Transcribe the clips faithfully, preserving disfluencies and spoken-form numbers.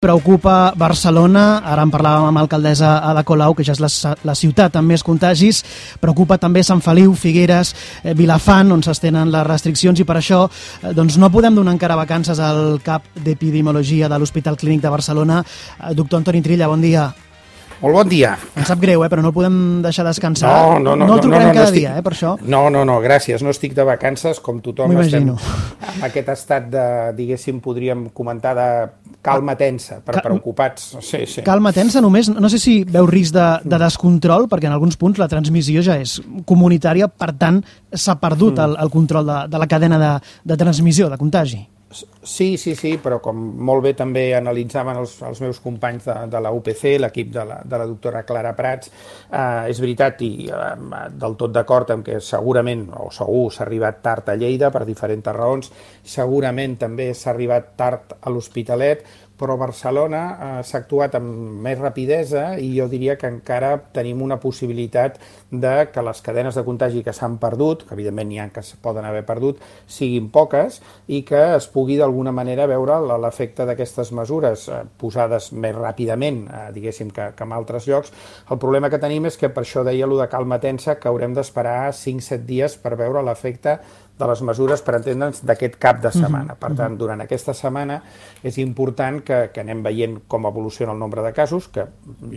Preocupa Barcelona, ara en parlàvem amb l'alcaldessa Ada Colau, que ja és la, la ciutat amb més contagis. Preocupa també Sant Feliu, Figueres, eh, Vilafant, on s'estenen les restriccions, i per això eh, doncs no podem donar encara vacances al cap d'Epidemiologia de l'Hospital Clínic de Barcelona. Eh, doctor Antoni Trilla, bon dia. Molt bon dia. Em sap greu, eh, però no el podem deixar descansar. No, no, no. No el trucarem no, no, no cada estic... dia, eh, per això. No, no, no, gràcies. No estic de vacances, com tothom estem en aquest estat de, diguéssim, podríem comentar de calma tensa, per Cal... preocupats. Sí, sí. Calma tensa només, no sé si veu risc de, de descontrol, perquè en alguns punts la transmissió ja és comunitària, per tant s'ha perdut el, el control de, de la cadena de, de transmissió, de contagi. Sí, sí, sí, però com molt bé també analitzaven els, els meus companys de, de la U P C, l'equip de, la, de la doctora Clara Prats, eh, és veritat, i eh, del tot d'acord amb que segurament, o segur, s'ha arribat tard a Lleida per diferents raons, segurament també s'ha arribat tard a l'Hospitalet, però a Barcelona eh, s'ha actuat amb més rapidesa i jo diria que encara tenim una possibilitat de que les cadenes de contagi que s'han perdut, que evidentment n'hi ha que es poden haver perdut, siguin poques i que es pugui d'alguna manera veure l'efecte d'aquestes mesures eh, posades més ràpidament, eh, diguéssim, que, que en altres llocs. El problema que tenim és que per això deia allò de calma tensa, que haurem d'esperar cinc set dies per veure l'efecte de les mesures, per entendre'ns, d'aquest cap de setmana. Per tant, durant aquesta setmana és important que, que anem veient com evoluciona el nombre de casos, que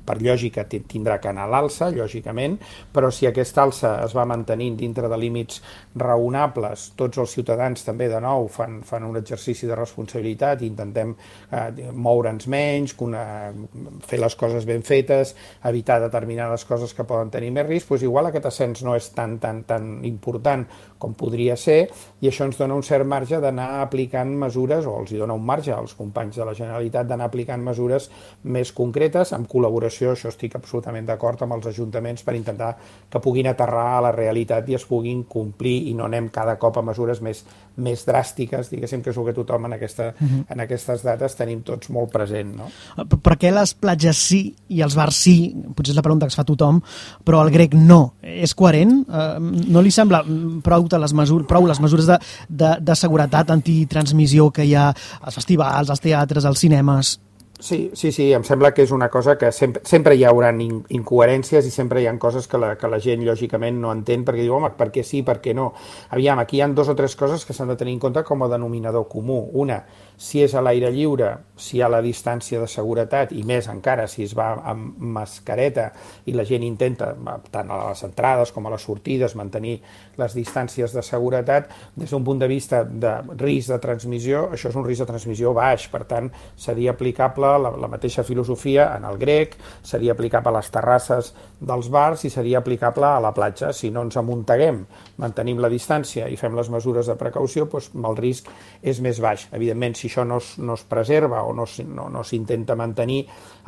per lògica tindrà que anar a l'alça, lògicament, però si aquesta alça es va mantenint dintre de límits raonables, tots els ciutadans també, de nou, fan, fan un exercici de responsabilitat, intentem eh, moure'ns menys, una, fer les coses ben fetes, evitar determinades coses que poden tenir més risc, doncs igual aquest ascens no és tan, tan, tan important com podria ser, i això ens dona un cert marge d'anar aplicant mesures, o els hi dona un marge als companys de la Generalitat d'anar aplicant mesures més concretes, en col·laboració, això estic absolutament d'acord, amb els ajuntaments per intentar que puguin aterrar a la realitat i es puguin complir i no anem cada cop a mesures més, més dràstiques, diguéssim, que és el que tothom en, aquesta, uh-huh. en aquestes dates tenim tots molt present. No? Per què les platges sí i els bars sí? Potser és la pregunta que es fa tothom, però el grec no. És coherent? No li sembla prou les mesures, prou les mesures de, de, de seguretat, antitransmissió que hi ha als festivals, als teatres, als cinemes? Sí, sí, sí, em sembla que és una cosa que sempre, sempre hi haurà in, incoherències i sempre hi ha coses que la, que la gent lògicament no entén, perquè diu, home, per què sí, per què no? Aviam, aquí hi ha dos o tres coses que s'han de tenir en compte com a denominador comú. Una, si és a l'aire lliure, si hi ha la distància de seguretat, i més encara si es va amb mascareta i la gent intenta, tant a les entrades com a les sortides, mantenir les distàncies de seguretat, des d'un punt de vista de risc de transmissió, això és un risc de transmissió baix, per tant, seria aplicable La, la mateixa filosofia en el grec, seria aplicable a les terrasses dels bars i seria aplicable a la platja. Si no ens amunteguem, mantenim la distància i fem les mesures de precaució, doncs el risc és més baix. Evidentment, si això no es, no es preserva o no, no, no s'intenta mantenir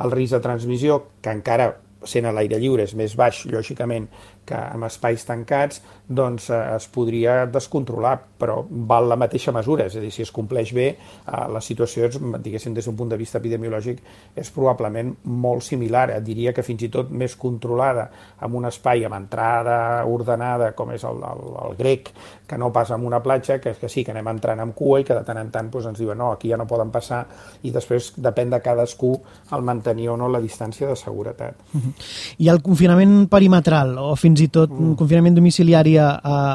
el risc de transmissió, que encara sent a l'aire lliure és més baix, lògicament, que en espais tancats, doncs eh, es podria descontrolar, però val la mateixa mesura, és a dir, si es compleix bé, eh, la situació, és, diguéssim, des d'un punt de vista epidemiològic, és probablement molt similar, eh, diria que fins i tot més controlada, amb un espai amb entrada ordenada, com és el, el, el grec, que no pas amb una platja, que, que sí, que anem entrant amb cua i que de tant en tant doncs, ens diuen no, aquí ja no poden passar, i després depèn de cadascú el mantenir o no la distància de seguretat. Uh-huh. I el confinament perimetral, o fins i tot un confinament domiciliari a,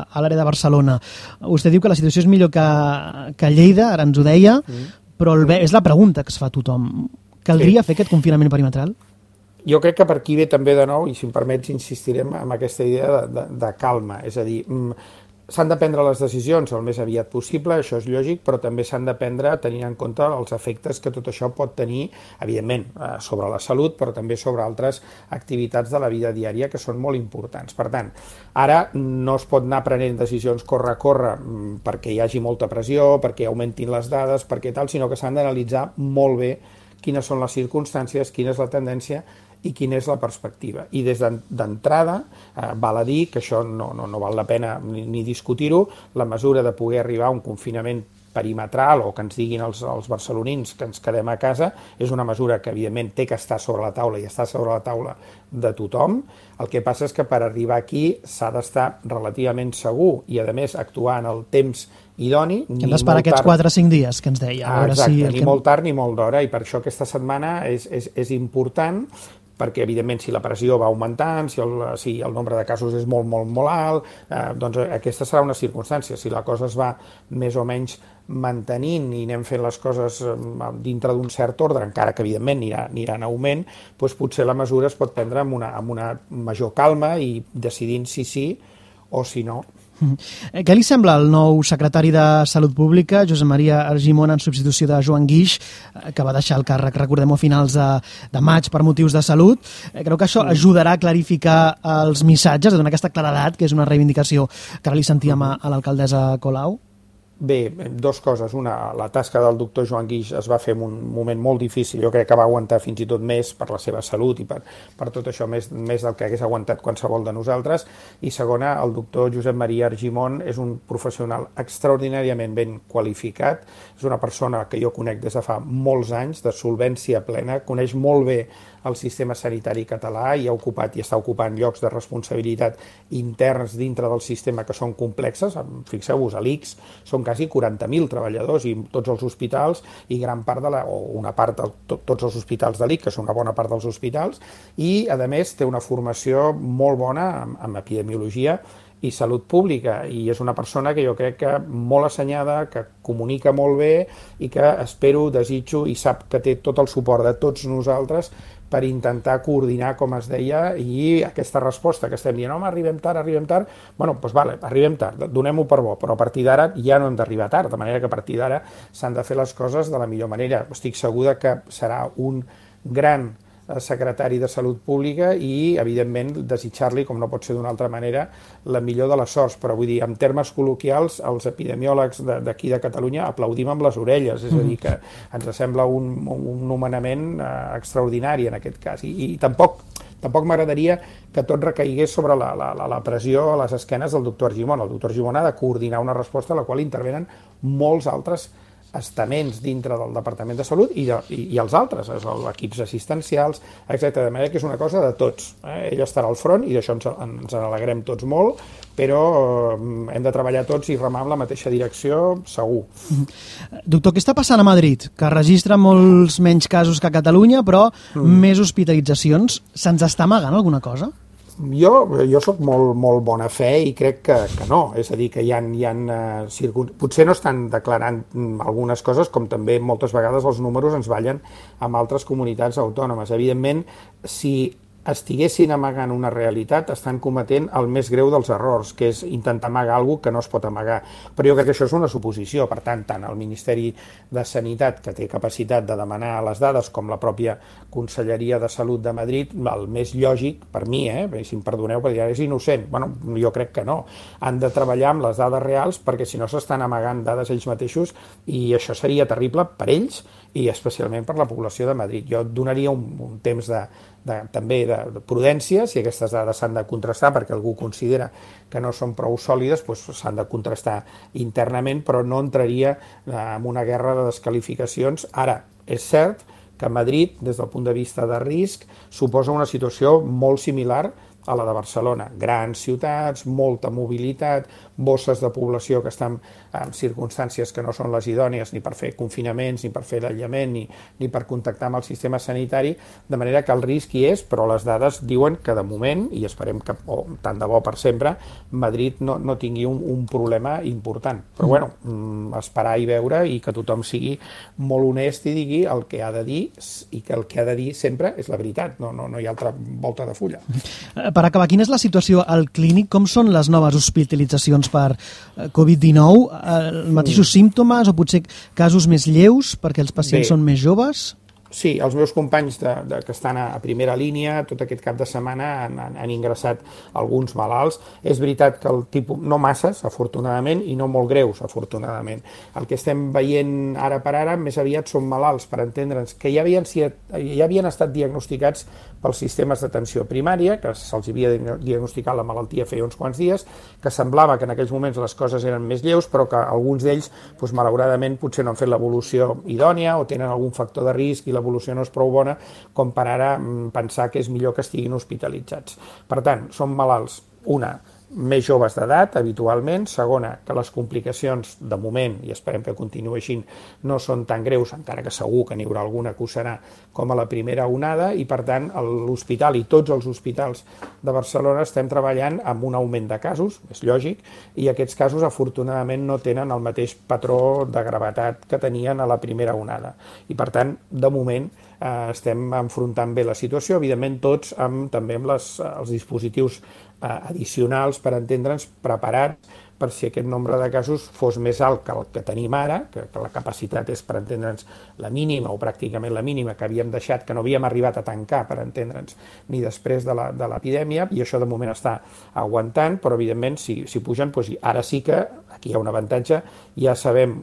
a l'àrea de Barcelona. Vostè diu que la situació és millor que, que a Lleida, ara ens ho deia, mm. però el, és la pregunta que es fa a tothom. Caldria sí. fer aquest confinament perimetral? Jo crec que per aquí ve també de nou, i si em permets insistirem en aquesta idea de, de, de calma, és a dir, s'han de prendre les decisions el més aviat possible, això és lògic, però també s'han de prendre tenint en compte els efectes que tot això pot tenir, evidentment, sobre la salut, però també sobre altres activitats de la vida diària que són molt importants. Per tant, ara no es pot anar prenent decisions corre a corre perquè hi hagi molta pressió, perquè augmentin les dades, perquè tal, sinó que s'han d'analitzar molt bé quines són les circumstàncies, quina és la tendència i quina és la perspectiva. I des d'entrada eh, val a dir que això no, no, no val la pena ni, ni discutir-ho, la mesura de poder arribar a un confinament perimetral o que ens diguin els, els barcelonins que ens quedem a casa, és una mesura que evidentment té que estar sobre la taula i està sobre la taula de tothom. El que passa és que per arribar aquí s'ha d'estar relativament segur i a més actuar en el temps idoni. Hem d'esperar aquests quatre o cinc dies que ens deia. Ah, exacte, si ni que... molt tard ni molt d'hora, i per això aquesta setmana és, és, és important, perquè evidentment si la pressió va augmentant, si el, si el nombre de casos és molt, molt, molt alt, eh, doncs aquesta serà una circumstància. Si la cosa es va més o menys mantenint i anem fent les coses dintre d'un cert ordre, encara que evidentment anirà, anirà en augment, doncs potser la mesura es pot prendre amb una, amb una major calma i decidint si sí o si no. Què li sembla el nou secretari de Salut Pública, Josep Maria Argimon, en substitució de Joan Guix, que va deixar el càrrec, recordem-ho, a finals de, de maig per motius de salut? Creu que això ajudarà a clarificar els missatges, a donar aquesta claredat, que és una reivindicació que ara li sentíem a, a l'alcaldessa Colau? Bé, dos coses. Una, la tasca del doctor Joan Guix es va fer en un moment molt difícil. Jo crec que va aguantar fins i tot més per la seva salut i per, per tot això, més, més del que hagués aguantat qualsevol de nosaltres. I segona, el doctor Josep Maria Argimon és un professional extraordinàriament ben qualificat. És una persona que jo conec des de fa molts anys, de solvència plena, coneix molt bé el sistema sanitari català i ha ocupat i està ocupant llocs de responsabilitat interns dintre del sistema que són complexes. Fixeu-vos, a l'I C S són quasi quaranta mil treballadors i tots els hospitals i gran part de la, o una part de to, tots els hospitals de l'I C S, que són una bona part dels hospitals, i a més té una formació molt bona en, en epidemiologia i salut pública, i és una persona que jo crec que molt assenyada, que comunica molt bé i que espero, desitjo i sap que té tot el suport de tots nosaltres per intentar coordinar, com es deia, i aquesta resposta que estem dient, home, arribem tard, arribem tard, bueno, doncs vale, arribem tard, donem-ho per bo, però a partir d'ara ja no hem d'arribar tard, de manera que a partir d'ara s'han de fer les coses de la millor manera. Estic segura que serà un gran secretari de Salut Pública i, evidentment, desitjar-li, com no pot ser d'una altra manera, la millor de les sorts. Però vull dir, en termes col·loquials, els epidemiòlegs d'aquí de Catalunya aplaudim amb les orelles, és a dir, que ens sembla un, un nomenament eh, extraordinari en aquest cas. I, i tampoc, tampoc m'agradaria que tot recaigués sobre la, la, la pressió a les esquenes del doctor Argimon. El doctor Argimon ha de coordinar una resposta a la qual intervenen molts altres estaments dintre del Departament de Salut i, de, i, i els altres, els equips assistencials, etcètera. De manera que és una cosa de tots. Eh? Ell estarà al front i d'això ens, ens alegrem tots molt, però eh, hem de treballar tots i remar en la mateixa direcció, segur. Doctor, què està passant a Madrid? Que registra molts menys casos que a Catalunya, però mm. més hospitalitzacions. Se'ns està amagant alguna cosa? Jo, jo soc molt, molt bona fe i crec que, que no, és a dir, que hi ha, hi ha uh, circun... potser no estan declarant algunes coses, com també moltes vegades els números ens ballen amb altres comunitats autònomes. Evidentment, si estiguessin amagant una realitat, estan cometent el més greu dels errors, que és intentar amagar alguna cosa que no es pot amagar. Però jo crec que això és una suposició. Per tant, tant el Ministeri de Sanitat, que té capacitat de demanar les dades, com la pròpia Conselleria de Salut de Madrid, el més lògic, per mi, eh, si em perdoneu, perquè és innocent. Bueno, jo crec que no. Han de treballar amb les dades reals, perquè si no s'estan amagant dades ells mateixos, i això seria terrible per ells i especialment per la població de Madrid. Jo donaria un, un temps de, de, també de, de prudència, si aquestes dades s'han de contrastar perquè algú considera que no són prou sòlides, doncs s'han de contrastar internament, però no entraria en una guerra de desqualificacions. Ara, és cert que Madrid, des del punt de vista de risc, suposa una situació molt similar a la de Barcelona. Grans ciutats, molta mobilitat, bosses de població que estan en circumstàncies que no són les idònies ni per fer confinaments, ni per fer l'aïllament, ni, ni per contactar amb el sistema sanitari, de manera que el risc hi és, però les dades diuen que de moment, i esperem que, o tant de bo per sempre, Madrid no, no tingui un, un problema important. Però bueno, esperar i veure i que tothom sigui molt honest i digui el que ha de dir, i que el que ha de dir sempre és la veritat, no, no, no hi ha altra volta de fulla. Per acabar, quina és la situació al clínic? Com són les noves hospitalitzacions per covid dinou? Els mateixos símptomes o potser casos més lleus perquè els pacients Bé, són més joves? Sí, els meus companys de, de, que estan a, a primera línia tot aquest cap de setmana han, han, han ingressat alguns malalts. És veritat que el tipus, no masses, afortunadament, i no molt greus, afortunadament. El que estem veient ara per ara més aviat són malalts, per entendre'ns, que ja havien, ja havien estat diagnosticats pels sistemes d'atenció primària, que se'ls havia diagnosticat la malaltia feia uns quants dies, que semblava que en aquells moments les coses eren més lleus, però que alguns d'ells, doncs, malauradament, potser no han fet l'evolució idònia o tenen algun factor de risc i l'evolució no és prou bona com per ara pensar que és millor que estiguin hospitalitzats. Per tant, són malalts, una, més joves d'edat, habitualment, segona, que les complicacions, de moment, i esperem que continuï així, no són tan greus, encara que segur que n'hi haurà alguna que ho serà, com a la primera onada, i per tant l'hospital i tots els hospitals de Barcelona estem treballant amb un augment de casos, és lògic, i aquests casos afortunadament no tenen el mateix patró de gravetat que tenien a la primera onada. I per tant, de moment, eh, estem enfrontant bé la situació, evidentment tots amb, també amb les, els dispositius eh, addicionals, per entendre'ns, preparats per si aquest nombre de casos fos més alt que el que tenim ara, que, que la capacitat és, per entendre'ns, la mínima o pràcticament la mínima que havíem deixat, que no havíem arribat a tancar, per entendre'ns, ni després de la, de l'epidèmia, i això de moment està aguantant, però evidentment si, si pugen, doncs ara sí que aquí hi ha un avantatge, ja sabem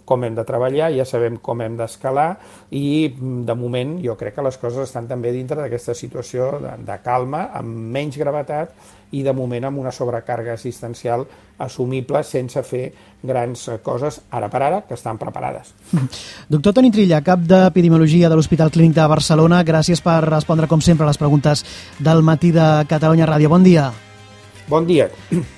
com hem de treballar, ja sabem com hem d'escalar, i de moment jo crec que les coses estan també dintre d'aquesta situació de, de calma, amb menys gravetat, i de moment amb una sobrecàrrega assistencial assumible sense fer grans coses ara per ara que estan preparades. Doctor Toni Trilla, cap d'Epidemiologia de l'Hospital Clínic de Barcelona, gràcies per respondre com sempre a les preguntes del Matí de Catalunya Ràdio. Bon dia. Bon dia.